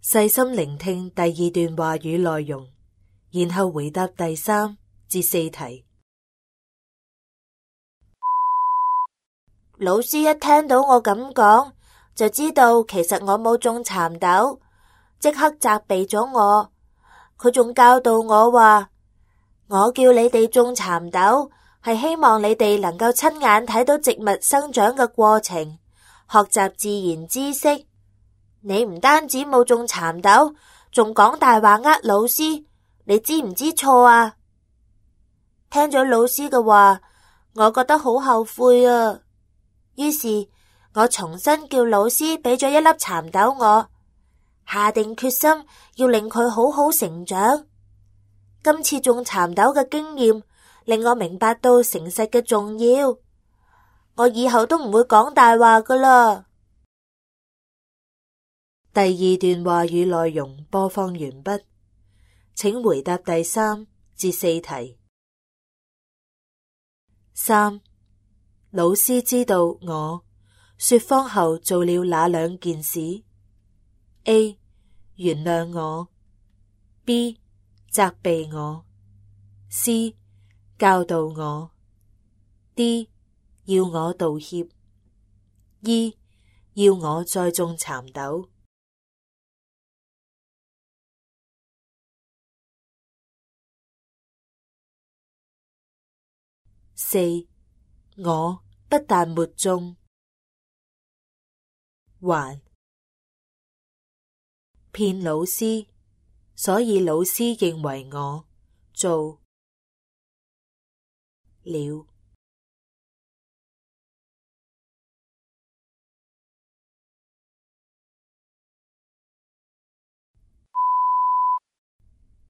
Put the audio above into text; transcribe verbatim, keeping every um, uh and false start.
細心聆聽第二段話語內容，然後回答第三至四題。老師一聽到我咁講，就知道其實我冇種蠶豆，即刻責備咗我。佢仲教導我話，我叫你哋種蠶豆，係希望你哋能夠親眼睇到植物生長嘅過程，學習自然知識。你唔單止冇種蠶豆，仲講大話呃老師，你知唔知錯啊？聽咗老師嘅話，我覺得好後悔啊。於是我重新叫老師俾咗一粒蠶豆我，下定決心要令佢好好成長。今次種蠶豆嘅經驗令我明白到誠實嘅重要，我以後都唔會講大話㗎喇。第二段話語內容播放完畢，請回答第三至四題。三，老師知道我說謊後做了哪兩件事 ？A. 原諒我 B. 責備我 C. 教導我 D. 要我道歉 E. 要我再種蠶豆。四，我不但沒種，還騙老師，所以老師認為我做了。